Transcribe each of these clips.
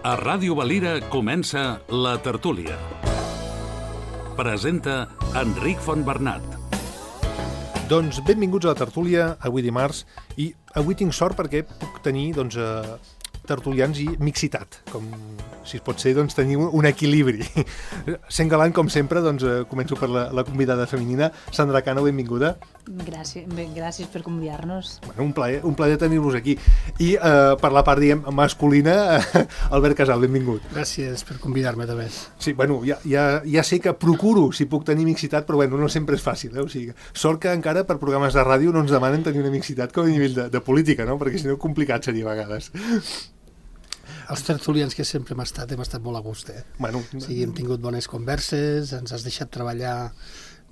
A Ràdio Valira comença La Tertúlia. Presenta Enric Fontbernat. Doncs benvinguts a La Tertúlia, avui dimarts, i avui tinc sort perquè puc tenir tertulians i mixitat, com si es pot ser, tenir un equilibri. Sent galant, com sempre, començo per la convidada femenina. Sandra Cano, benvinguda. Gràcies per convidar-nos. Un plaer tenir-vos aquí. I per la part, masculina, Albert Casal, benvingut. Gràcies per convidar-me, també. Sí, ja sé que procuro si puc tenir mixitat, però no sempre és fàcil. O sigui, sort que encara per programes de ràdio no ens demanen tenir una mixitat com a nivell de política, no? Perquè si no complicat seria a vegades. Els tertulians que sempre hem estat molt a gust, hem tingut bones converses, ens has deixat treballar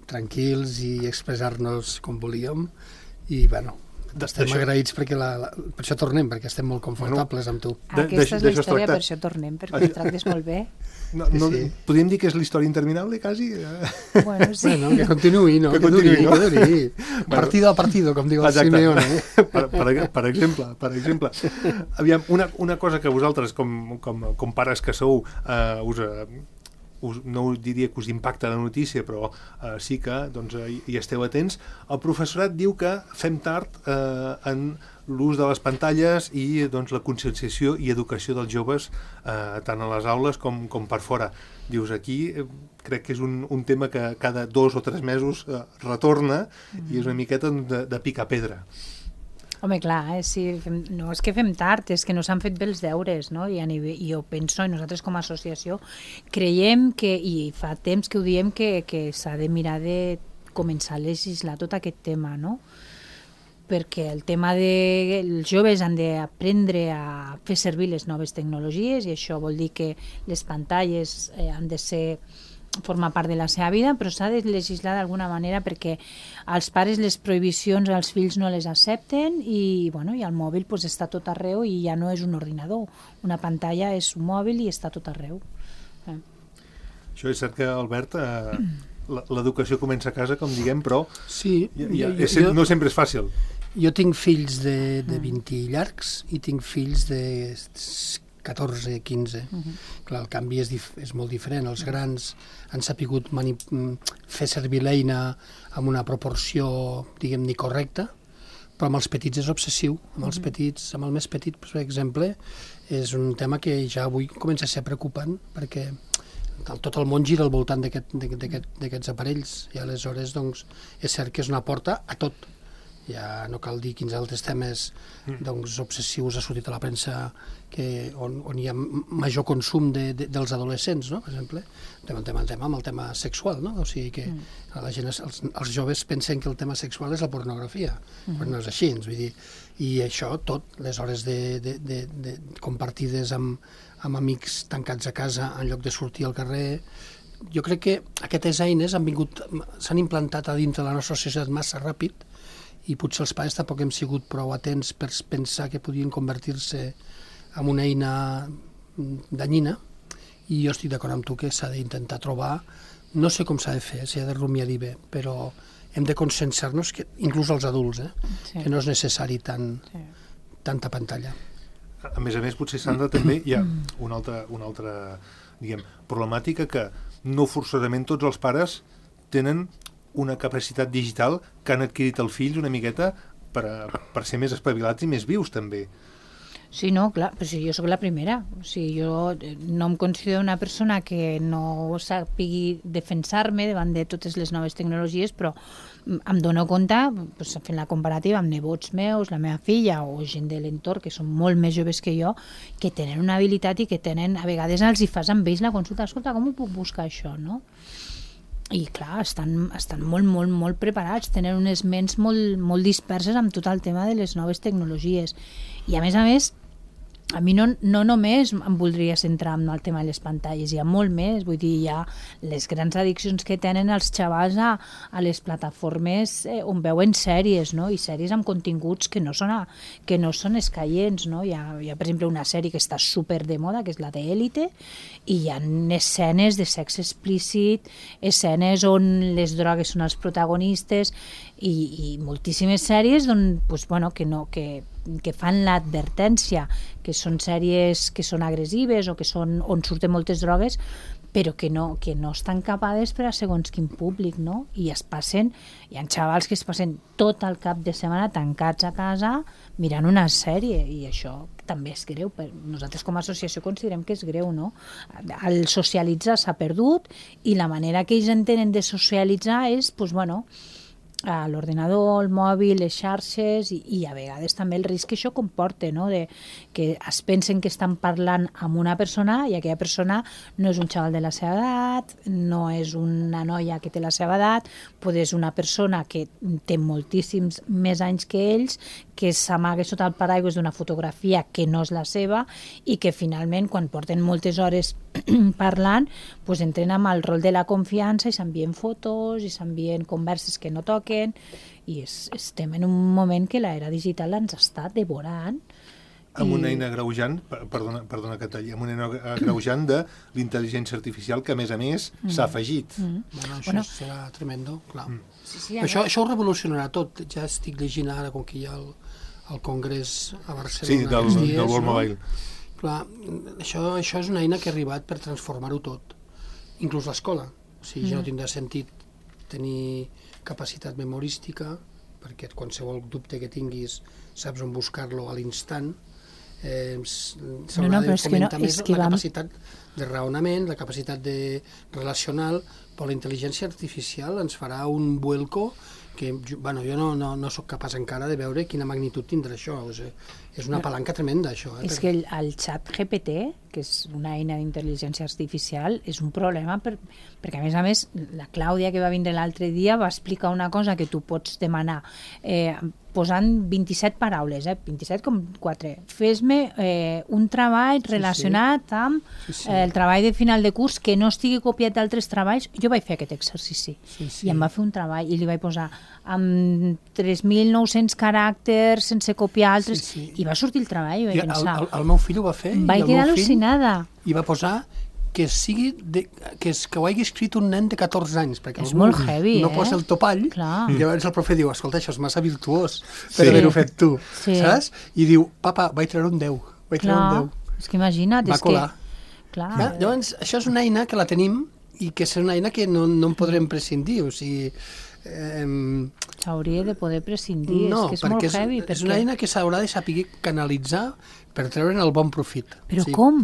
tranquils i expressar-nos com volíem, i estem agraïts perquè per això tornem, perquè estem molt confortables amb tu. Aquesta és la història, per això tornem, perquè tractes molt bé. Podríem dir que és la història interminable, quasi? Sí. Que continuï, no? Que duri. Partido a partido, com diu el Simeone. Per exemple. Aviam, una cosa que vosaltres, com pares que sou, no diria que us impacta la notícia, però sí que hi esteu atents. El professorat diu que fem tard en l'ús de les pantalles i la conscienciació i educació dels joves tant a les aules com per fora. Dius, aquí crec que és un tema que cada 2 o 3 mesos retorna i és una miqueta de picar pedra. Home, clar, no és que fem tard, és que no s'han fet bé els deures, no? I jo penso, i nosaltres com a associació creiem que, i fa temps que ho diem, que s'ha de mirar de començar a legislar tot aquest tema, no? Perquè el tema els joves han d'aprendre a fer servir les noves tecnologies, i això vol dir que les pantalles han de formar part de la seva vida, però s'ha de legislar d'alguna manera perquè als pares les prohibicions als fills no les accepten i el mòbil està tot arreu i ja no és un ordinador. Una pantalla és un mòbil i està tot arreu. Això és cert que, Albert, l'educació comença a casa, com diguem, però no sempre és fàcil. Jo tinc fills de 20 i llargs i tinc fills de 14, 15. Clar, el canvi és molt diferent. Els grans han sapigut fer servir l'eina amb una proporció, diguem-ne, correcta, però amb els petits és obsessiu. Amb el més petit, per exemple, és un tema que ja avui comença a ser preocupant, perquè tot el món gira al voltant d'aquests aparells, i aleshores és cert que és una porta a tot. Ja no cal dir quins altres temes obsessius ha sortit a la premsa on hi ha major consum dels adolescents, no? Per exemple, amb el tema sexual, no? O sigui que la gent, els joves pensen que el tema sexual és la pornografia, però no és així, vull dir, i això tot, les hores compartides amb amics tancats a casa en lloc de sortir al carrer. Jo crec que aquestes eines s'han implantat a dintre de la nostra societat massa ràpid, i potser els pares tampoc hem sigut prou atents per pensar que podien convertir-se en una eina danyina, i jo estic d'acord amb tu que s'ha d'intentar trobar, no sé com s'ha de fer, s'ha de rumiar-hi bé, però hem de conscienciar-nos, inclús els adults, que no és necessari tanta pantalla. A més, potser, Sandra, també hi ha una altra problemàtica, que no forçosament tots els pares tenen una capacitat digital que han adquirit els fills una miqueta per ser més espavilats i més vius, també. Sí, no, clar, però jo sóc la primera. O sigui, jo no em considero una persona que no sàpigui defensar-me davant de totes les noves tecnologies, però em dono compte, fent la comparativa amb nebots meus, la meva filla o gent de l'entorn, que són molt més joves que jo, que tenen una habilitat i que tenen, a vegades els hi fas amb ells la consulta, escolta, com ho puc buscar això, no? I clar, estan molt preparats, tenen unes ments molt disperses amb tot el tema de les noves tecnologies. I a més, a mi no només em voldria centrar en el tema de les pantalles, hi ha molt més, vull dir, hi ha les grans addiccions que tenen els xavals a les plataformes on veuen sèries, no? I sèries amb continguts que no són escaients, no? Hi ha, per exemple, una sèrie que està super de moda, que és la d'Élite, i hi ha escenes de sexe explícit, escenes on les drogues són els protagonistes, i moltíssimes sèries que que fan l'advertència que són sèries que són agressives o que són on surten moltes drogues, però que no estan capades per a segons quin públic, no? I es passen, hi ha xavals que es passen tot el cap de setmana tancats a casa mirant una sèrie, i això també és greu. Nosaltres com a associació considerem que és greu, no? El socialitzar s'ha perdut i la manera que ells entenen de socialitzar és, doncs, bueno, a l'ordenador, el mòbil, les xarxes i a vegades també el risc que això comporta, no? De que es pensen que estan parlant amb una persona i aquella persona no és un xaval de la seva edat, no és una noia que té la seva edat, pot és una persona que té moltíssims més anys que ells, que s'amaga sota el paraigües d'una fotografia que no és la seva i que finalment, quan porten moltes hores parlant, doncs entren amb el rol de la confiança i s'envien fotos i s'envien converses que no toquen, i estem en un moment que l'era digital ens està devorant. Amb una eina agreujant, perdona que talli, amb una eina agreujant de l'intel·ligència artificial que, a més, s'ha afegit. Això serà tremendo, clar. Sí, això ho revolucionarà tot. Ja estic llegint ara, com que hi ha el Congrés a Barcelona. Sí, del World Mobile. Clar, això és una eina que ha arribat per transformar-ho tot, inclús l'escola. O sigui, ja no tindrà sentit tenir capacitat memorística, perquè qualsevol dubte que tinguis saps on buscar-lo a l'instant. S'haurà de fomentar més la capacitat de raonament, la capacitat de relacional, però la intel·ligència artificial ens farà un vuelco que, bueno, jo no soc capaç encara de veure quina magnitud tindrà això. O sigui, és una palanca tremenda, això. És que el xat GPT, que és una eina d'intel·ligència artificial, és un problema perquè, a més, la Clàudia, que va vindre l'altre dia, va explicar una cosa que tu pots demanar posant 27 paraules, 27,4. Fes-me un treball relacionat amb el treball de final de curs que no estigui copiat d'altres treballs. Jo vaig fer aquest exercici i em va fer un treball i li vaig posar amb 3.900 caràcters sense copiar altres i va sortir el treball. I vaig pensar... El meu fill ho va fer. Vaig quedar al·lucinada. I va posar que ho hagi escrit un nen de 14 anys, perquè és molt heavy, no posa el topall. Clar. I llavors el profe diu, escolta, això és massa virtuós per haver-ho fet tu, saps? I diu, papa, vaig treure un 10. És que imagina't. Va colar. Llavors, això és una eina que la tenim i que és una eina que no en podrem prescindir, o sigui... S'hauria de poder prescindir, és que és molt heavy. És una eina que s'haurà de saber canalitzar per treure'n el bon profit. Però com?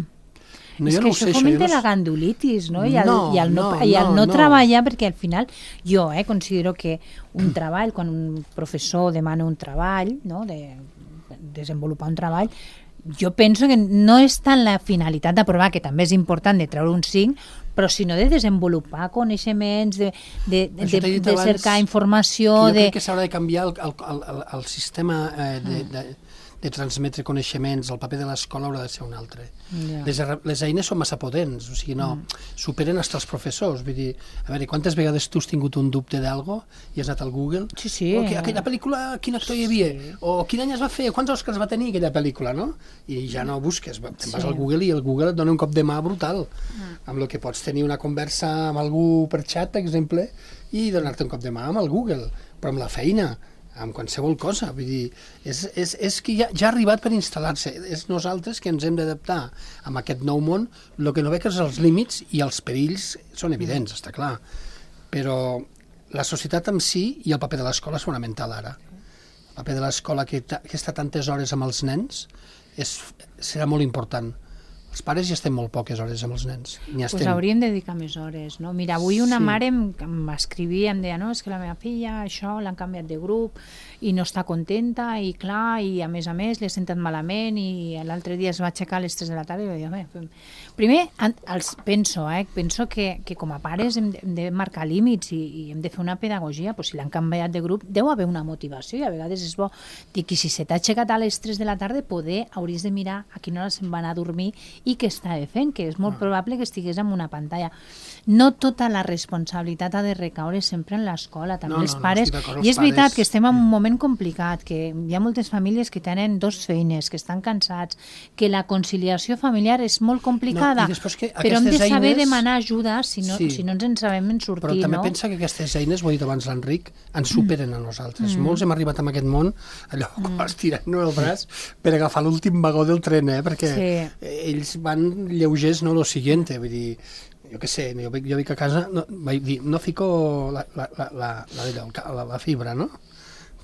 És que això fomenta la gandulitis, no? I el no treballar, perquè al final jo considero que un treball, quan un professor demana un treball, de desenvolupar un treball, jo penso que no és tant la finalitat d'aprovar, que també és important de treure un 5, però sinó de desenvolupar coneixements, de cercar informació... Jo crec que s'haurà de canviar el sistema de transmetre coneixements, el paper de l'escola haurà de ser un altre. Les eines són massa potents, o sigui, superen fins els professors. Vull dir, a veure, quantes vegades tu has tingut un dubte d'algo i has anat al Google? Sí. Aquella pel·lícula, quin actor hi havia? O quin any es va fer? Quants Oscars va tenir aquella pel·lícula, no? I ja no busques, te'n vas al Google i el Google et dona un cop de mà brutal, amb el que pots tenir una conversa amb algú per xat, per exemple, i donar-te un cop de mà amb el Google, però amb la feina, amb qualsevol cosa. Vull dir, és que ja ha arribat per instal·lar-se. És nosaltres que ens hem d'adaptar a aquest nou món. El que no veig és els límits i els perills són evidents, està clar. Però la societat en si i el paper de l'escola és fonamental ara. El paper de l'escola que està tantes hores amb els nens serà molt important. Els pares ja estem molt poques hores amb els nens. Pues hauríem de dedicar més hores, no? Mira, avui una mare m'escrivia, em deia, no, és que la meva filla, això, l'han canviat de grup i no està contenta, i clar, i a més, li ha sentat malament, i l'altre dia es va aixecar a les 3 de la tarda i va dir, primer, penso que com a pares hem de marcar límits i hem de fer una pedagogia, si l'han canviat de grup, deu haver una motivació, i a vegades és bo dir que si se t'ha aixecat a les 3 de la tarda, hauries de mirar a quina hora se'n va anar a dormir i què estava fent, que és molt probable que estigués amb una pantalla. No tota la responsabilitat ha de recaure sempre en l'escola, també els pares. I és veritat que estem en un moment complicat, que hi ha moltes famílies que tenen 2 feines, que estan cansats, que la conciliació familiar és molt complicada, però hem de saber demanar ajuda si no ens en sabem en sortir. Però també pensa que aquestes eines, ho ha dit abans l'Enric, ens superen a nosaltres. Molts hem arribat a aquest món, allò, estirant-nos el braç per agafar l'últim vagó del tren, perquè ells van lleugers, no lo siguiente, vull dir, jo què sé, jo dic a casa, vaig dir, no fico la fibra, no?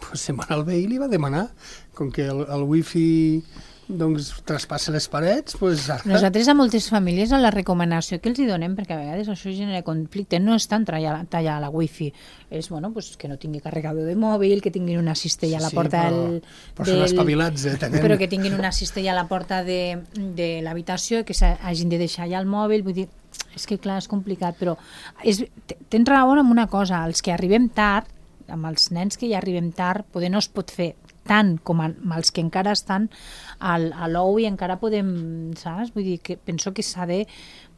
Pues se'n va anar al veí i li va demanar, com que el wifi doncs traspassa les parets, doncs ara... Nosaltres a moltes famílies la recomanació que els hi donem, perquè a vegades això genera conflicte, no és tant tallar la wifi, és que no tingui carregador de mòbil, que tinguin una cistella a la porta però són espavilats, però que tinguin una cistella a la porta de l'habitació, que hagin de deixar allà el mòbil, vull dir, és que clar, és complicat, però tens raó en una cosa, els que arribem tard, amb els nens que ja arribem tard, poder no es pot fer tant com amb els que encara estan a l'ou i encara podem, saps? Vull dir que penso que s'ha de...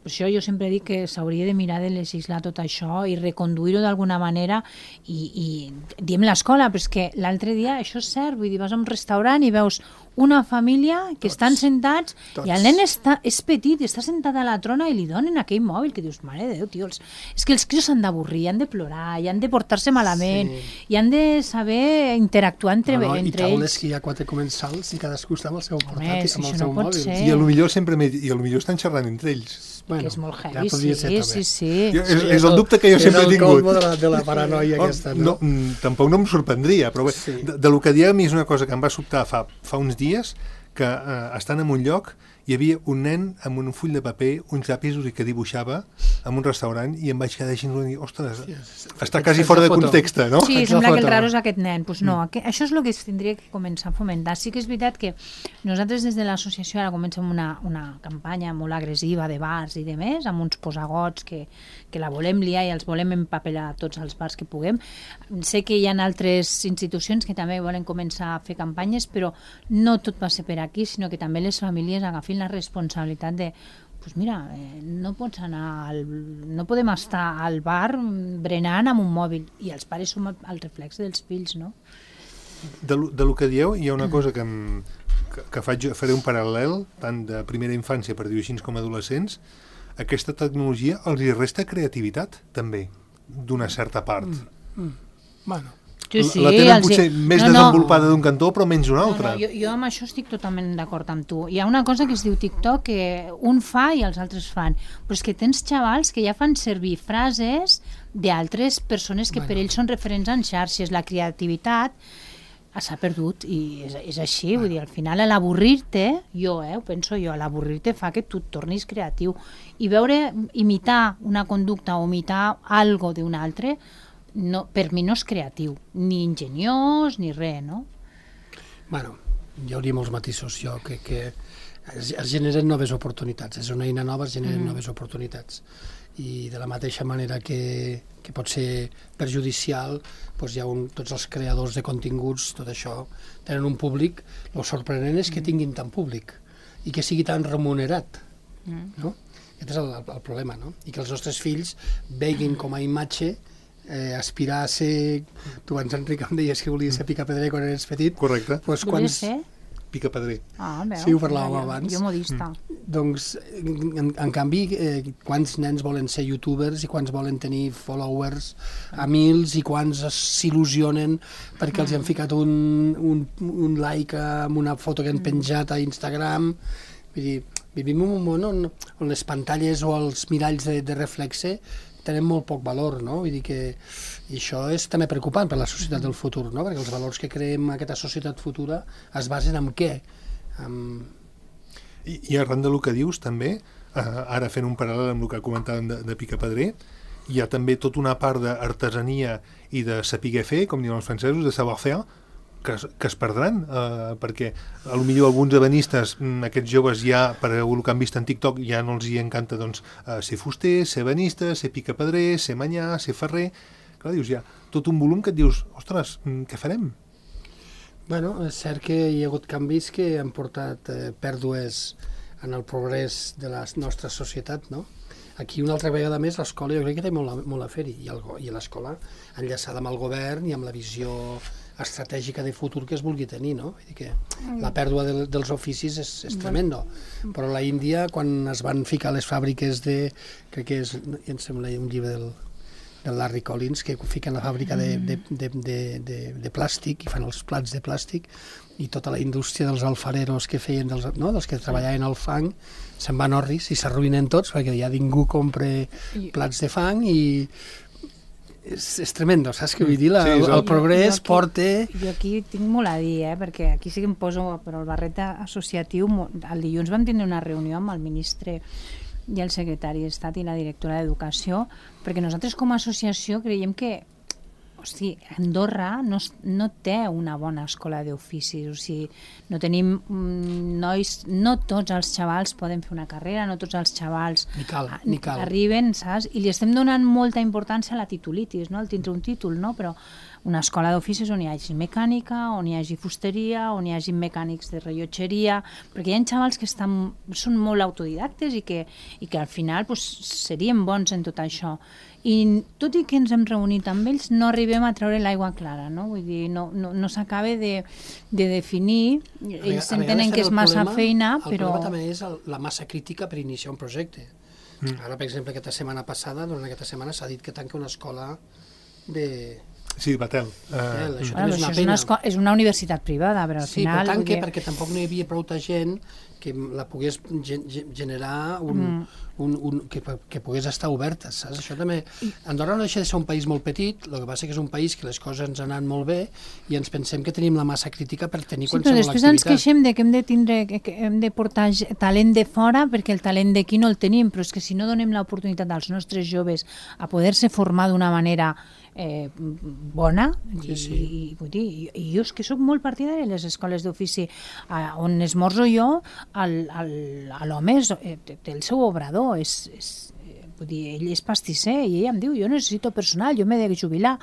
Per això jo sempre dic que s'hauria de mirar de legislar tot això i reconduir-ho d'alguna manera i diem l'escola, però és que l'altre dia això és cert, vull dir, vas a un restaurant i veus una família que estan sentats i el nen és petit i està sentat a la trona i li donen aquell mòbil que dius, mare de Déu, tio, és que els crios s'han d'avorrir, han de plorar, i han de portar-se malament, i han de saber interactuar entre ells. I taules que hi ha 4 comensals i cadascú està amb el seu portàtil, amb el seu mòbil. I potser estan xerrant entre ells. Que és molt heavy, sí. És el dubte que jo sempre he tingut. És el colmo de la paranoia aquesta, no? Tampoc no em sorprendria, però bé, de lo que diem és una cosa que em va sobtar fa uns dies, que estan en un lloc hi havia un nen amb un full de paper, uns llapis que dibuixava en un restaurant i em vaig quedar així i dir, ostres, està quasi fora de context, no? Sí, sembla que el raro és aquest nen. Doncs no, això és el que es tindria que començar a fomentar. Sí que és veritat que nosaltres des de l'associació ara comencem una campanya molt agressiva de bars i de més, amb uns posagots que la volem liar i els volem empapelar a tots els bars que puguem. Sé que hi ha altres institucions que també volen començar a fer campanyes, però no tot va ser per aquí, sinó que també les famílies agafin la responsabilitat de pues mira, no podem estar al bar berenant amb un mòbil i els pares som el reflex dels fills, no? De lo que dieu, hi ha una cosa que faré un paral·lel tant de primera infància, per dir-ho així, com adolescents. Aquesta tecnologia els hi resta creativitat, també, d'una certa part. Bueno, la tenen potser més desenvolupada d'un cantó, però menys d'un altre. Jo amb això estic totalment d'acord amb tu. Hi ha una cosa que es diu TikTok, que un fa i els altres fan, però és que tens xavals que ja fan servir frases d'altres persones que per ells són referents en xarxes. La creativitat s'ha perdut i és així, vull dir, al final l'avorrir-te, ho penso jo, l'avorrir-te fa que tu et tornis creatiu i imitar una conducta o imitar algo d'un altre, no, per mi no és creatiu, ni ingeniós ni res, no? Bueno, hi hauria molts matisos, jo crec que es generen noves oportunitats, és una eina nova, es generen noves oportunitats i de la mateixa manera que pot ser perjudicial, doncs hi ha tots els creadors de continguts, tot això, tenen un públic, el sorprenent és que tinguin tant públic i que sigui tan remunerat, no? Aquest és el problema, no? I que els nostres fills veguin com a imatge aspirar a ser... Tu abans, Enric, em deies que volies ser picapedrer quan eres petit. Correcte. Volies ser? Picapedrer. Veu. Sí, ho parlàvem abans. Jo modista. Doncs, en canvi, quants nens volen ser youtubers i quants volen tenir followers a mils i quants s'il·lusionen perquè els han ficat un like amb una foto que han penjat a Instagram. Vull dir, vivim en un món on les pantalles o els miralls de reflexe tenen molt poc valor, no? Vull dir que això és també preocupant per la societat del futur, no? Perquè els valors que creem en aquesta societat futura es basen en què? I arran del que dius, també, ara fent un paral·lel amb el que comentàvem de picapedrer, hi ha també tota una part d'artesania i de saber fer, com diuen els francesos, de savoir-faire, que es perdran, perquè potser alguns ebenistes, aquests joves ja, per el que han vist en TikTok, ja no els hi encanta ser fuster, ser ebenista, ser picapedrer, ser manyà, ser ferrer. Clar, dius, hi ha tot un volum que et dius, ostres, què farem? Bueno, és cert que hi ha hagut canvis que han portat pèrdues en el progrés de la nostra societat, no? Aquí una altra vegada més l'escola jo crec que té molt a fer-hi, i l'escola enllaçada amb el govern i amb la visió estratègica de futur que es vulgui tenir, no? Vull dir que la pèrdua dels oficis és tremendo, però a l'Índia, quan es van ficar les fàbriques crec que és, em sembla un llibre del Larry Collins, que fiquen la fàbrica de plàstic i fan els plats de plàstic, i tota la indústria dels alfareros que feien, dels que treballaven al fang, se'n van orris i s'arruïnen tots perquè ja ningú compra plats de fang i és tremendo, saps què vull dir? El progrés porta... Jo aquí tinc molt a dir, perquè aquí sí que em poso per el barret associatiu. El dilluns vam tenir una reunió amb el ministre i el secretari d'Estat i la directora d'Educació, perquè nosaltres com a associació creiem que Andorra no té una bona escola d'oficis, o sigui, no tenim nois, no tots els xavals poden fer una carrera, no tots els xavals arriben, saps? I li estem donant molta importància a la titulitis, no? Al tindre un títol, no? Però una escola d'oficis on hi hagi mecànica, on hi hagi fusteria, on hi hagi mecànics de rellotgeria, perquè hi ha xavals que són molt autodidactes i que al final serien bons en tot això. I tot i que ens hem reunit amb ells, no arribem a treure l'aigua clara, no? Vull dir, no s'acaba de definir, ells entenen que és massa feina, però... El problema també és la massa crítica per iniciar un projecte. Ara, per exemple, durant aquesta setmana s'ha dit que tanca una escola de... Sí, Batel. És una universitat privada, però al final... Sí, però tanca perquè tampoc no hi havia prou gent que la pogués generar que pogués estar oberta, saps? Això també... Andorra no deixa de ser un país molt petit, el que passa que és un país que les coses ens han anat molt bé i ens pensem que tenim la massa crítica per tenir qualsevol activitat. Però després ens queixem que hem de portar talent de fora perquè el talent d'aquí no el tenim, però és que si no donem l'oportunitat als nostres joves a poder-se formar d'una manera bona, i jo és que soc molt partidària de les escoles d'ofici. On esmorzo jo, l'home té el seu obrador, ell és pastisser i ell em diu, jo necessito personal, jo m'he de jubilar,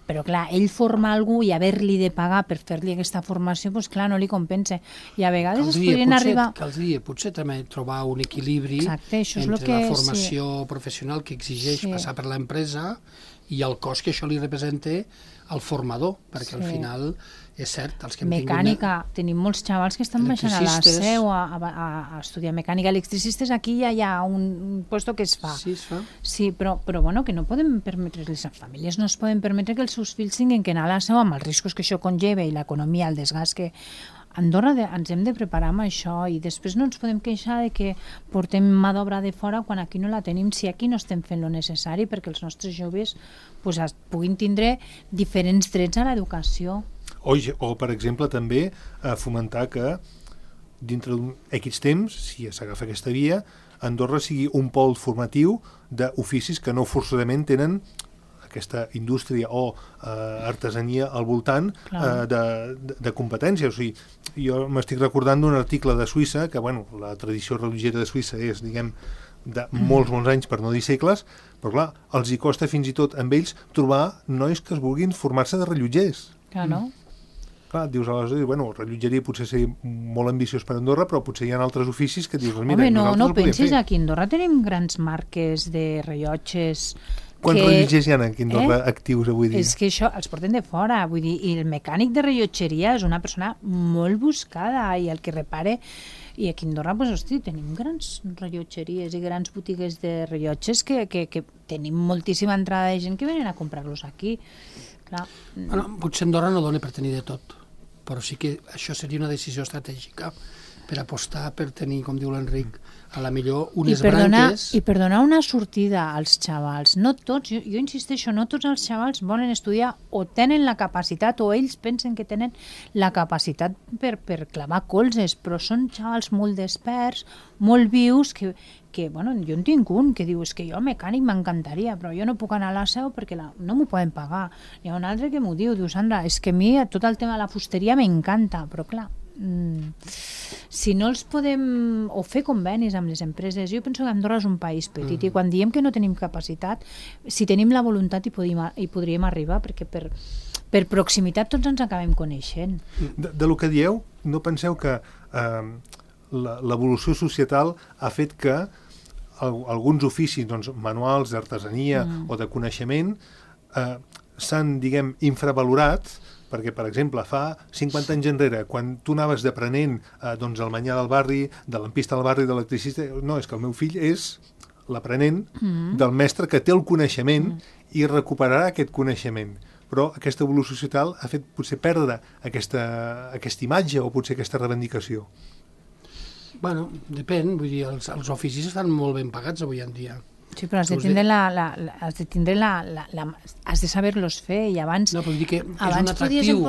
però clar, ell forma algú i haver-li de pagar per fer-li aquesta formació, doncs clar, no li compensa. I a vegades es podrien arribar... Caldria potser també trobar un equilibri entre la formació professional que exigeix passar per l'empresa i el cost que això li representa al formador, perquè al final és cert, els que hem tingut... Mecànica, tenim molts xavals que estan baixant a la seu a estudiar mecànica. Electricistes, aquí ja hi ha un lloc que es fa. Sí, es fa. Sí, però bueno, que no podem permetre, les famílies no es poden permetre que els seus fills tinguin que anar a la seu amb els riscos que això conlleva i l'economia, el desgast que... Andorra ens hem de preparar amb això i després no ens podem queixar de que portem mà d'obra de fora quan aquí no la tenim, si aquí no estem fent lo necessari perquè els nostres joves puguin tindre diferents drets a l'educació. O, per exemple, també fomentar que dintre d'un X temps, si s'agafa aquesta via, Andorra sigui un pol formatiu d'oficis que no forçosament tenen aquesta indústria o artesania al voltant de competència. O sigui, jo m'estic recordant d'un article de Suïssa, que la tradició religiera de Suïssa és, diguem, de molts anys, per no dir segles, però clar, els hi costa fins i tot amb ells trobar nois que es vulguin formar-se de rellotgers. Clar, no? Clar, dius aleshores, rellotgeria potser seria molt ambiciós per Andorra, però potser hi ha altres oficis que dius, mira, home, no pensis, aquí a Andorra tenim grans marques de rellotges. Quants rellotgers hi ha aquí a Andorra actius avui dia? És que això els porten de fora, vull dir, i el mecànic de rellotgeria és una persona molt buscada i el que repare, i aquí a Andorra, tenim grans rellotgeries i grans botigues de rellotges que tenim moltíssima entrada de gent que venen a comprar-los aquí. Clar. Potser Andorra no dona per tenir de tot, però sí que això seria una decisió estratègica per apostar per tenir, com diu l'Enric, a la millor unes branques... I per donar una sortida als xavals. No tots, jo insisteixo, no tots els xavals volen estudiar o tenen la capacitat o ells pensen que tenen la capacitat per clavar colzes, però són xavals molt desperts, molt vius, que jo en tinc un que diu, és que jo mecànic m'encantaria, però jo no puc anar a la seu perquè no m'ho poden pagar. Hi ha un altre que m'ho diu, Sandra, és que a mi tot el tema de la fusteria m'encanta, però clar, si no els podem o fer convenis amb les empreses, jo penso que Andorra és un país petit i quan diem que no tenim capacitat, si tenim la voluntat hi podríem arribar, perquè per proximitat tots ens acabem coneixent. De lo que dieu, no penseu que l'evolució societal ha fet que alguns oficis manuals d'artesania o de coneixement s'han, diguem, infravalorat, perquè, per exemple, fa 50 anys enrere, quan tu anaves d'aprenent el manyà del barri, de lampista del barri, d'electricista, no, és que el meu fill és l'aprenent del mestre que té el coneixement i recuperarà aquest coneixement. Però aquesta evolució social ha fet potser perdre aquesta imatge o potser aquesta reivindicació. Bueno, depèn, vull dir, els oficis estan molt ben pagats avui en dia. Sí, però has de has de saber-los fer i abans... No, però vull dir que és abans un atractiu.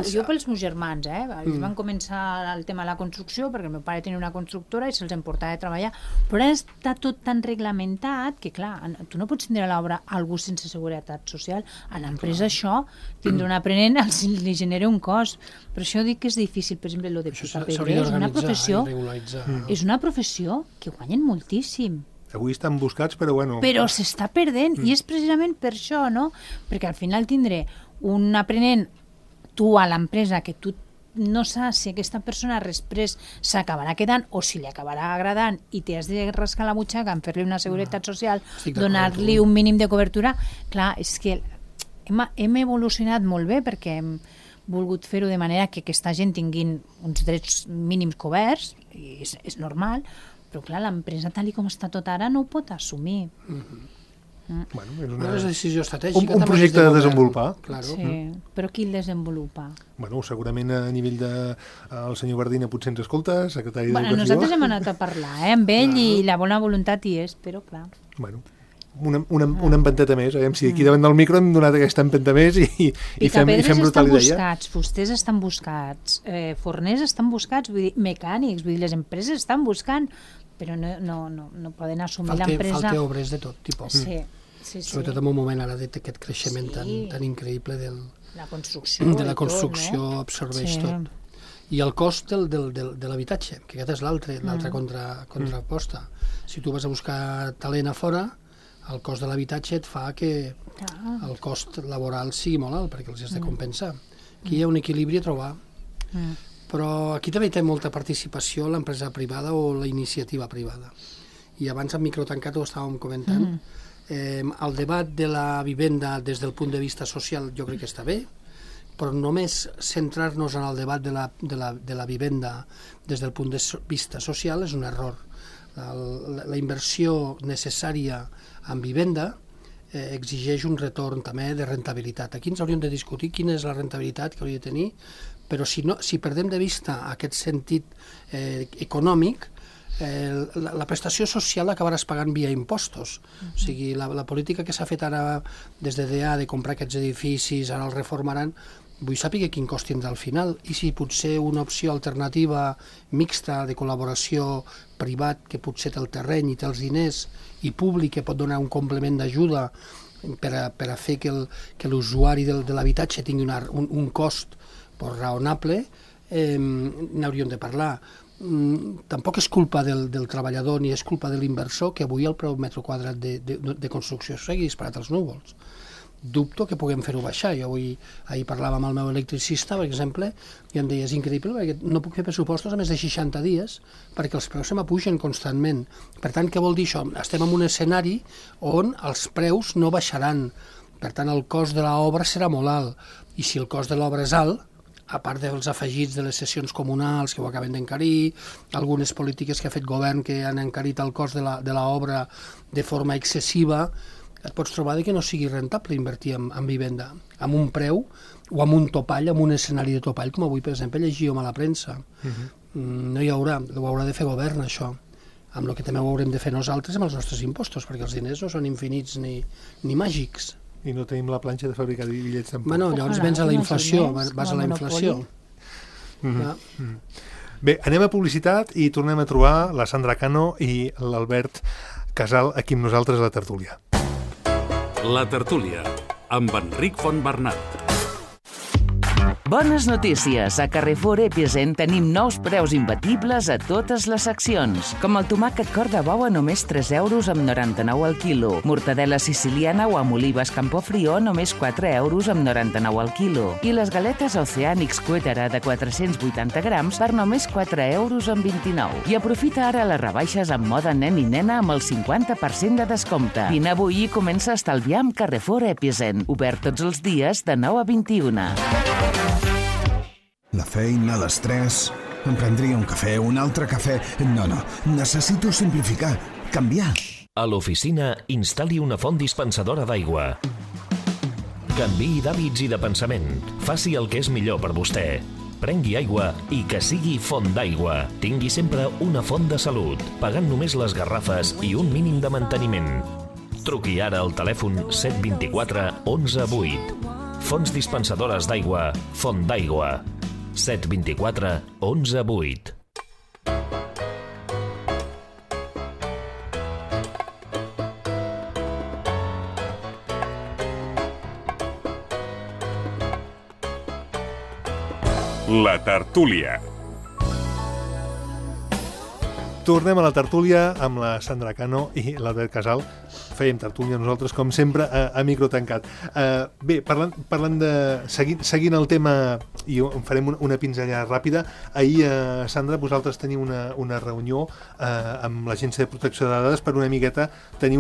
Jo pels meus germans, ells van començar el tema de la construcció perquè el meu pare tenia una constructora i se'ls emportava a treballar, però ara està tot tan reglamentat que, clar, tu no pots tindre a l'obra algú sense seguretat social. A l'empresa això, tindre un aprenent li genera un cost. Per això dic que és difícil, per exemple, el de picapedrer és una professió que guanyen moltíssim. Avui estan buscats, però bueno... Però s'està perdent, i és precisament per això, no? Perquè al final tindré un aprenent, tu a l'empresa, que tu no saps si aquesta persona després s'acabarà quedant o si li acabarà agradant i t'has de rascar la butxaca en fer-li una seguretat social, donar-li un mínim de cobertura. Clar, és que hem evolucionat molt bé perquè hem volgut fer-ho de manera que aquesta gent tinguin uns drets mínims coberts, i és normal, però clar, l'empresa tal com està tot ara no ho pot assumir. Bueno, és una decisió estratègica. Un projecte de desenvolupar. Claro. Sí, però qui el desenvolupa? Bueno, segurament a nivell el senyor Bardina potser ens escolta, secretari d'Educació. Nosaltres hem anat a parlar amb ell i la bona voluntat hi és, però clar. Bueno, una empenteta més, si aquí davant del micro hem donat aquesta empenta més i fem brutal idea. Fusters estan buscats, forners estan buscats, vull dir, mecànics, vull dir, les empreses estan buscant, però no poden assumir l'empresa. Falta obres de tot tipus. Sí. Sobretot en un moment ara d'aquest creixement tan increïble de la construcció, absorbeix tot. I el cost de l'habitatge, que aquest és l'altra contraposta. Si tu vas a buscar talent a fora, el cost de l'habitatge et fa que el cost laboral sigui molt alt, perquè els has de compensar. Aquí hi ha un equilibri a trobar. Però aquí també té molta participació l'empresa privada o la iniciativa privada. I abans en microtancat ho estàvem comentant. El debat de la vivenda des del punt de vista social jo crec que està bé, però només centrar-nos en el debat de la vivenda des del punt de vista social és un error. La inversió necessària en vivenda exigeix un retorn també de rentabilitat. Aquí ens hauríem de discutir quina és la rentabilitat que hauria de tenir, però si perdem de vista aquest sentit econòmic, la prestació social l'acabaràs pagant via impostos. O sigui, la política que s'ha fet ara des de DA de comprar aquests edificis, ara els reformaran, vull saber quin cost tindrà al final i si potser una opció alternativa mixta de col·laboració privat que potser té el terreny i té els diners i públic que pot donar un complement d'ajuda per a fer que l'usuari de l'habitatge tingui un cost raonable, n'hauríem de parlar. Tampoc és culpa del treballador ni és culpa de l'inversor que avui el preu metre quadrat de construcció sigui disparat als núvols. Dubto que puguem fer-ho baixar. Jo ahir parlava amb el meu electricista, per exemple, i em deia, és increïble, perquè no puc fer pressupostos a més de 60 dies perquè els preus se m'apugen constantment. Per tant, què vol dir això? Estem en un escenari on els preus no baixaran. Per tant, el cost de l'obra serà molt alt. I si el cost de l'obra és alt, a part dels afegits de les sessions comunals que ho acaben d'encarir, algunes polítiques que ha fet govern que han encarit el cost de l'obra de forma excessiva, et pots trobar que no sigui rentable invertir en vivenda, amb un preu o amb un topall, amb un escenari de topall, com avui, per exemple, llegíem a la premsa. No hi haurà, ho haurà de fer govern, això, amb el que també ho haurem de fer nosaltres amb els nostres impostos, perquè els diners no són infinits ni màgics. I no tenim la planxa de fabricar bitllets tampoc. Bueno, llavors vens a la inflació, vas a la inflació. Bé, anem a publicitat i tornem a trobar la Sandra Cano i l'Albert Casal aquí amb nosaltres a la tertúlia. La tertúlia, amb Enric Fontbernat. Bones notícies! A Carrefour Epicent tenim nous preus imbatibles a totes les seccions, com el tomàquet cor de bou a només 3 euros amb 99 al quilo, mortadela siciliana o amb olives Campofrio a només 4 euros amb 99 al quilo, i les galetes Oceanics Cuétara de 480 grams per només 4 euros amb 29. I aprofita ara les rebaixes en moda nen i nena amb el 50% de descompte. Vine avui i comença a estalviar amb Carrefour Epicent, obert tots els dies de 9 a 21. La feina, l'estrès... Em prendria un cafè, un altre cafè... No, necessito simplificar, canviar. A l'oficina, instal·li una font dispensadora d'aigua. Canviï d'hàbits i de pensament. Faci el que és millor per vostè. Prengui aigua i que sigui font d'aigua. Tingui sempre una font de salut, pagant només les garrafes i un mínim de manteniment. Truqui ara al telèfon 724 11 8. Fonts dispensadores d'aigua, Font d'aigua. 724 11 8. La tertúlia. Tornem a la tertúlia amb la Sandra Cano i l'Albert Casal. Fèiem tertúlia nosaltres, com sempre, a micro tancat. Bé, parlant de... Seguint el tema, i en farem una pinzellada ràpida, ahir, Sandra, vosaltres teniu una reunió amb l'Agència de Protecció de Dades per una miqueta tenir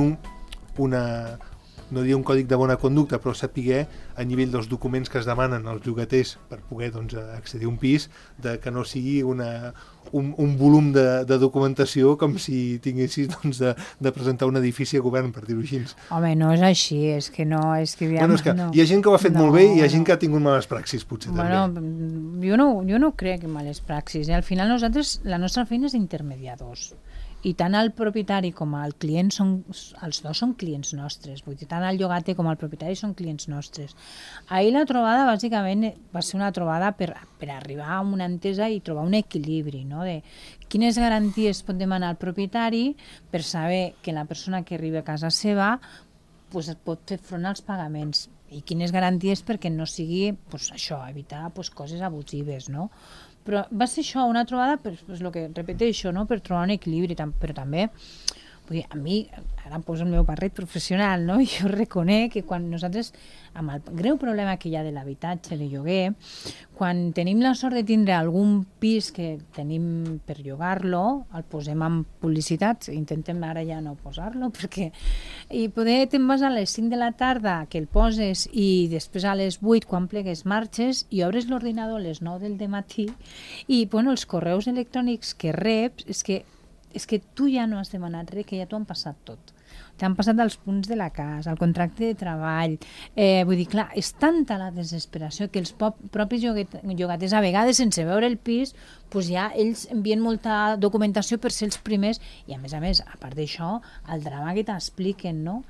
no diria un còdic de bona conducta, però saber a nivell dels documents que es demanen als llogaters per poder accedir a un pis, que no sigui un volum de documentació com si tinguessis de presentar un edifici a govern, per dir-ho així. Home, no és així, és que no... Hi ha gent que ho ha fet molt bé i hi ha gent que ha tingut males praxis, potser, també. Jo no crec en males praxis. Al final nosaltres, la nostra feina és d'intermediadors. I tant el propietari com el client els dos són clients nostres, vull dir, tant el llogater com el propietari són clients nostres. Ahir la trobada bàsicament va ser una trobada per arribar a una entesa i trobar un equilibri, no? De quines garanties pot demanar el propietari per saber que la persona que arriba a casa seva pot fer front als pagaments i quines garanties perquè no sigui això, evitar coses abusives, no? Però va ser això, una trobada, el que repeteixo, no? Per trobar un equilibri, però també, vull dir, a mi, ara em poso el meu barret professional, no? Jo reconec que quan nosaltres, amb el greu problema que hi ha de l'habitatge, de lloguer, quan tenim la sort de tindre algun pis que tenim per llogar-lo, el posem en publicitat, intentem ara ja no posar-lo, perquè i poder te'n vas a les 5 de la tarda que el poses i després a les 8 quan plegues marxes i obres l'ordinador a les 9 del dematí i els correus electrònics que reps és que tu ja no has demanat res, que ja t'ho han passat tot. T'han passat els punts de la casa, el contracte de treball. Vull dir, clar, és tanta la desesperació que els propis llogaters, a vegades, sense veure el pis, ja ells envien molta documentació per ser els primers i, a més, a part d'això, el drama que t'expliquen, no?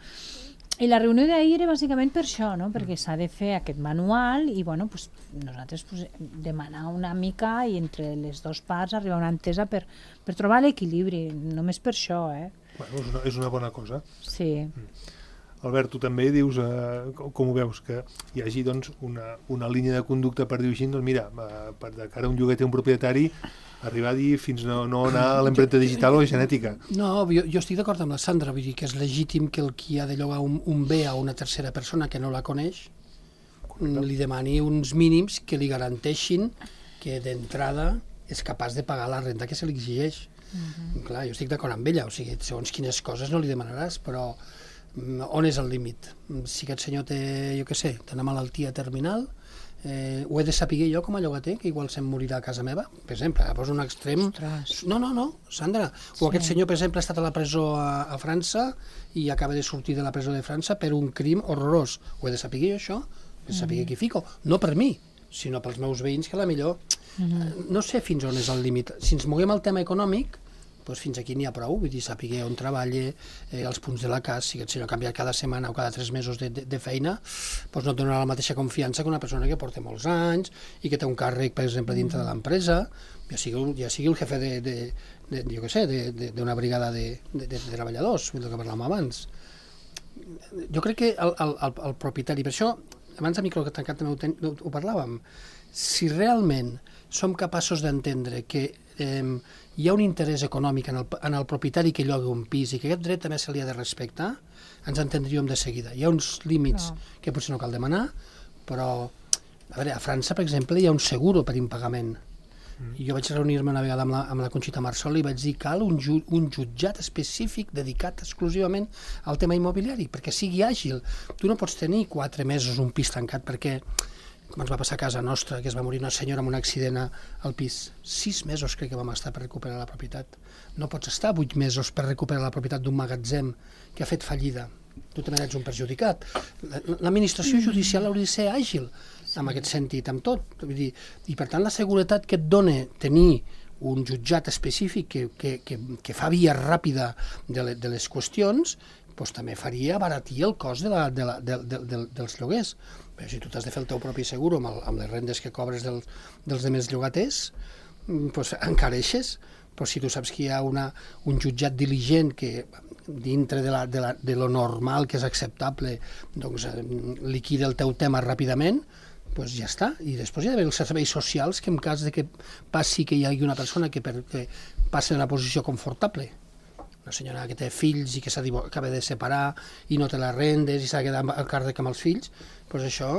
I la reunió d'ahir era bàsicament per això, no? Perquè s'ha de fer aquest manual i nosaltres demanar una mica i entre les dues parts arribar a una entesa per trobar l'equilibri, només per això, Bueno, és una bona cosa. Sí. Albert, tu també dius, com ho veus, que hi hagi una línia de conducta per dir així, mira, de cara a un llogater, un propietari, arribar a dir fins no anar a l'empremta digital o genètica. No, jo estic d'acord amb la Sandra, vull dir que és legítim que el qui ha de llogar un bé a una tercera persona que no la coneix li demani uns mínims que li garanteixin que d'entrada és capaç de pagar la renta que se li exigeix. Clar, jo estic d'acord amb ella, o sigui, segons quines coses no li demanaràs, però on és el límit? Si aquest senyor té, jo què sé, té una malaltia terminal, ho he de saber jo com a llogater, que igual se'm morirà a casa meva, per exemple, poso un extrem... No, Sandra, o aquest senyor, per exemple, ha estat a la presó a França i acaba de sortir de la presó de França per un crim horrorós. Ho he de saber jo, això? He de saber qui fico. No per mi, sinó pels meus veïns, que a la millor... No sé fins on és el límit. Si ens moguem al tema econòmic, doncs fins aquí n'hi ha prou, vull dir, saber on treballa, els punts de la casa, si aquest senyor ha canviat cada setmana o cada 3 mesos de feina, doncs no et donarà la mateixa confiança que una persona que porta molts anys i que té un càrrec, per exemple, dintre de l'empresa, ja sigui el jefe jo què sé, d'una brigada de treballadors, el que parlàvem abans. Jo crec que el propietari, per això abans a micro tancat també ho parlàvem, si realment som capaços d'entendre que hi ha un interès econòmic en el propietari que llogui un pis i que aquest dret també se li ha de respectar, ens entendríem de seguida. Hi ha uns límits que potser no cal demanar, però a veure, a França, per exemple, hi ha un seguro per impagament. I jo vaig reunir-me una vegada amb la Conxita Marsol i vaig dir que cal un jutjat específic dedicat exclusivament al tema immobiliari, perquè sigui àgil. Tu no pots tenir 4 mesos un pis tancat perquè, com ens va passar a casa nostra, que es va morir una senyora amb un accident al pis. 6 mesos crec que vam estar per recuperar la propietat. No pots estar 8 mesos per recuperar la propietat d'un magatzem que ha fet fallida. Tu també ets un perjudicat. L'administració judicial hauria de ser àgil en aquest sentit, amb tot. Vull dir, i per tant la seguretat que et dona tenir un jutjat específic que fa via ràpida de les qüestions, doncs també faria abaratir el cost dels lloguers. Però si tu t'has de fer el teu propi seguro amb les rendes que cobres dels demés llogaters, doncs encareixes. Però si tu saps que hi ha un jutjat diligent que dintre de lo normal que és acceptable doncs liquida el teu tema ràpidament, doncs ja està. I després hi ha d'haver els serveis socials que en cas de que passi que hi hagi una persona que passi d'una posició confortable, una senyora que té fills i que s'acaba de separar i no té les rendes i s'ha de quedar a càrrec amb els fills, doncs això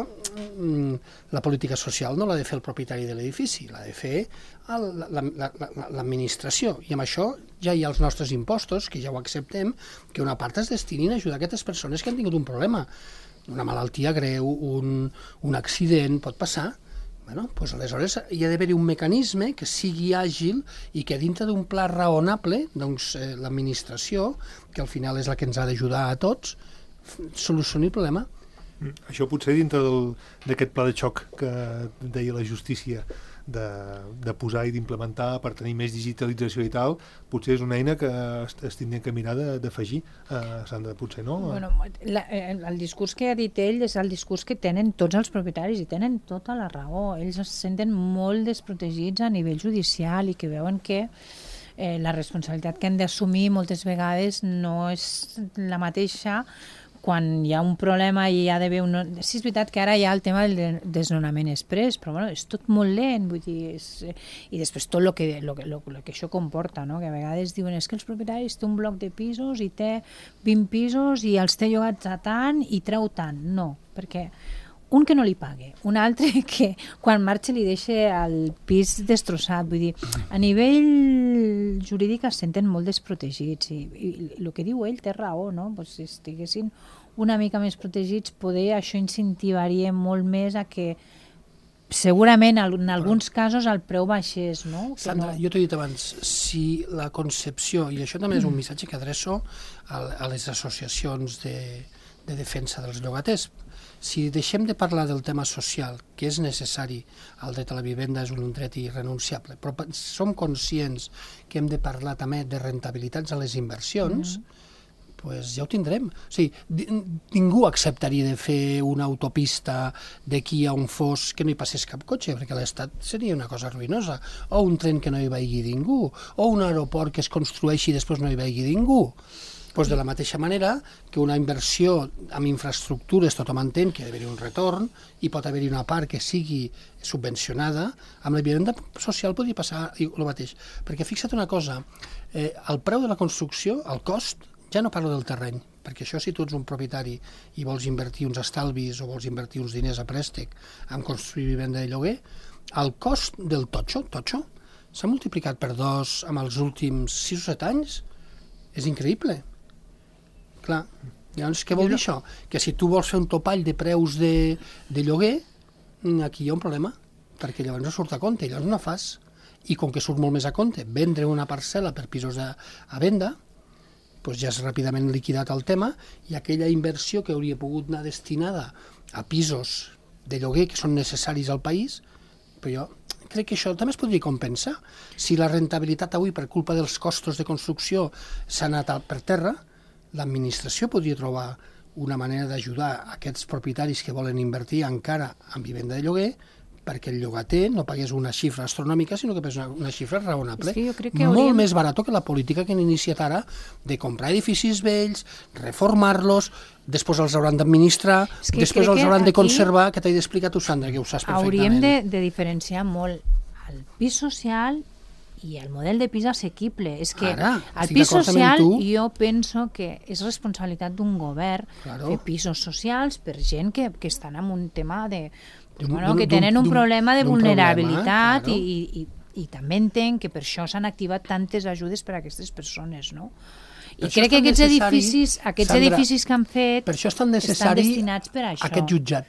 la política social no l'ha de fer el propietari de l'edifici, l'ha de fer l'administració. I amb això ja hi ha els nostres impostos, que ja ho acceptem, que una part es destinin a ajudar aquestes persones que han tingut un problema. Una malaltia greu, un accident, pot passar. Bueno, doncs aleshores hi ha d'haver un mecanisme que sigui àgil i que dintre d'un pla raonable, doncs l'administració, que al final és la que ens ha d'ajudar a tots, solucioni el problema. Això potser dintre d'aquest pla de xoc que deia la justícia de posar i d'implementar per tenir més digitalització i tal, potser és una eina que es tindria que mirar d'afegir, Sandra, potser no? Bueno, el discurs que ha dit ell és el discurs que tenen tots els propietaris i tenen tota la raó. Ells es senten molt desprotegits a nivell judicial i que veuen que la responsabilitat que han d'assumir moltes vegades no és la mateixa quan hi ha un problema i hi ha d'haver un... Sí, és veritat que ara hi ha el tema del desnonament express, però bueno, és tot molt lent, vull dir, i després tot el que això comporta, no? Que a vegades diuen és que els propietaris té un bloc de pisos i té 20 pisos i els té llogats a tant i treu tant. No, perquè un que no li pague, un altre que quan marxa li deixa el pis destrossat. Vull dir, a nivell jurídic es senten molt desprotegits i el que diu ell té raó, no? Pues si estiguessin una mica més protegits, poder això incentivaria molt més a que segurament en alguns casos el preu baixés, no? Sandra, jo t'ho he dit abans, si la concepció, i això també és un missatge que adreço a les associacions de defensa dels llogaters, si deixem de parlar del tema social, que és necessari, el dret a la vivenda és un dret irrenunciable, però som conscients que hem de parlar també de rentabilitats a les inversions, pues ja ho tindrem. O sigui, ningú acceptaria de fer una autopista d'aquí a un fos que no hi passés cap cotxe, perquè a l'Estat seria una cosa ruïnosa, o un tren que no hi vagi ningú, o un aeroport que es construeixi i després no hi vagi ningú. Pues de la mateixa manera que una inversió en infraestructures tothom entén que ha d'haver un retorn i pot haver-hi una part que sigui subvencionada, amb la vivenda social podria passar el mateix. Perquè fixa't una cosa, el preu de la construcció, el cost, ja no parlo del terreny, perquè això si tu ets un propietari i vols invertir uns estalvis o vols invertir uns diners a préstec en construir vivenda de lloguer, el cost del totxo s'ha multiplicat per 2 en els últims 6 o 7 anys. És increïble. Clar, llavors què vol dir això? Que si tu vols fer un topall de preus de lloguer, aquí hi ha un problema, perquè llavors no surt a compte, llavors no fas. I com que surt molt més a compte, vendre una parcel·la per pisos a venda, doncs ja has ràpidament liquidat el tema i aquella inversió que hauria pogut anar destinada a pisos de lloguer que són necessaris al país, però jo crec que això també es podria compensar. Si la rentabilitat avui per culpa dels costos de construcció s'ha anat per terra, l'administració podria trobar una manera d'ajudar aquests propietaris que volen invertir encara en vivenda de lloguer perquè el llogater no pagués una xifra astronòmica, sinó que pagués una xifra raonable. És que jo crec que molt més barat que la política que han iniciat ara de comprar edificis vells, reformar-los, després els hauran d'administrar, després els hauran de conservar, que t'he d'explicar tu, Sandra, que ho saps perfectament. Hauríem de diferenciar molt el pis social i el model de pis assequible. És que el pis social jo penso que és responsabilitat d'un govern fer pisos socials per gent que estan en un tema de... que tenen un problema de vulnerabilitat i també entenc que per això s'han activat tantes ajudes per a aquestes persones, no? I crec que aquests edificis que han fet estan destinats per a això. Aquest jutjat,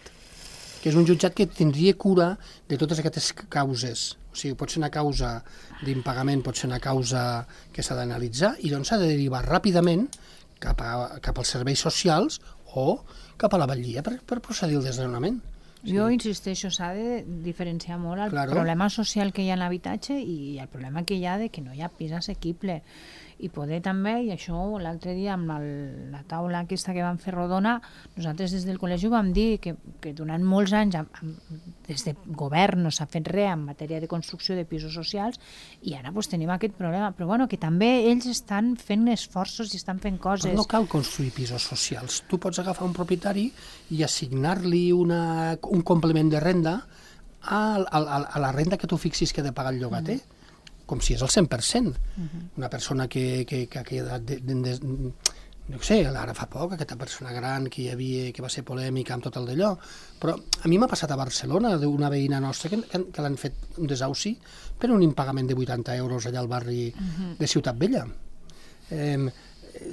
que és un jutjat que tindria cura de totes aquestes causes. O sigui, pot ser una causa d'impagament, pot ser una causa que s'ha d'analitzar i doncs s'ha de derivar ràpidament cap als serveis socials o cap a la batllia per procedir al desnonament. Jo insisteixo, s'ha de diferenciar molt el problema social que hi ha en l'habitatge i el problema que hi ha de que no hi ha pis assequible. I poder també, i això l'altre dia amb la taula aquesta que vam fer rodona, nosaltres des del col·legi vam dir que durant molts anys des de govern no s'ha fet res en matèria de construcció de pisos socials i ara tenim aquest problema, però bueno, que també ells estan fent esforços i estan fent coses. Però no cal construir pisos socials, tu pots agafar un propietari i assignar-li un complement de renda a la renda que tu fixis que ha de pagar el llogater. Com si és el 100%. Una persona que ha quedat, no sé, ara fa poc, aquesta persona gran que va ser polèmica amb tot el d'allò, però a mi m'ha passat a Barcelona d'una veïna nostra que l'han fet un desauci per un impagament de 80 euros allà al barri de Ciutat Vella.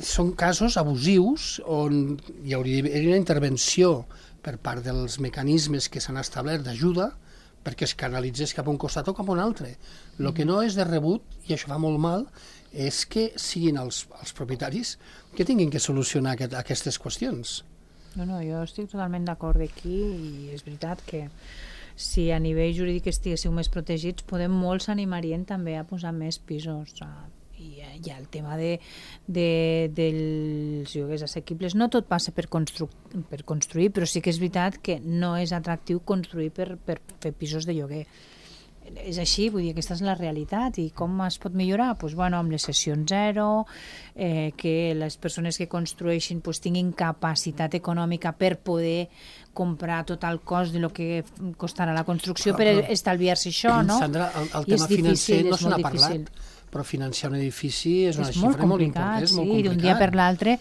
Són casos abusius on hi hauria d'haver una intervenció per part dels mecanismes que s'han establert d'ajuda perquè es canalitzés cap a un costat o cap a un altre. El que no és de rebut, i això fa molt mal, és que siguin els propietaris que tinguin que solucionar aquestes qüestions. No, jo estic totalment d'acord aquí i és veritat que si a nivell jurídic estiguéssiu més protegits, molts s'animarien també a posar més pisos i el tema dels lloguers assequibles. No tot passa per construir, però sí que és veritat que no és atractiu construir per fer pisos de lloguer. És així, vull dir, aquesta és la realitat. I com es pot millorar? Doncs, bueno, amb les cessions zero, que les persones que construeixin tinguin capacitat econòmica per poder comprar tot el cost de lo que costarà la construcció per estalviar-se això, no? Sandra, el tema financer no se n'ha parlat, però financiar un edifici és una xifra molt important. És molt complicat. Sí, d'un dia per l'altre.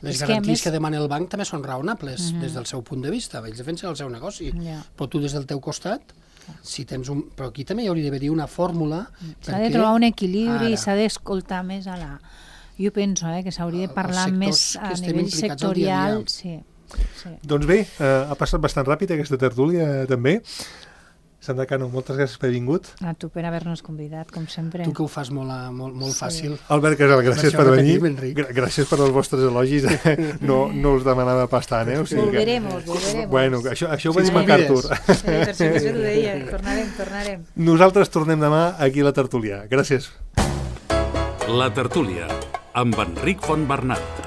Les garanties que demana el banc també són raonables des del seu punt de vista. Ells defensen el seu negoci. Però tu des del teu costat, si tens un... Però aquí també hi hauria d'haver una fòrmula... S'ha de trobar un equilibri i s'ha d'escoltar més a la... Jo penso que s'hauria de parlar més a nivell sectorial. Doncs bé, ha passat bastant ràpid aquesta tertúlia també. Sandra Cano, moltes gràcies per haver vingut. A tu per haver-nos convidat, com sempre. Tu que ho fas molt fàcil. Albert Casal, gràcies per venir. Gràcies per els vostres elogis. No us demanava pas tant, O sigui volverem. Bueno, això ho va dir MacArthur. Per si t'ho deia, tornarem. Nosaltres tornem demà aquí a la tertúlia. Gràcies. La tertúlia, amb Enric Fontbernat.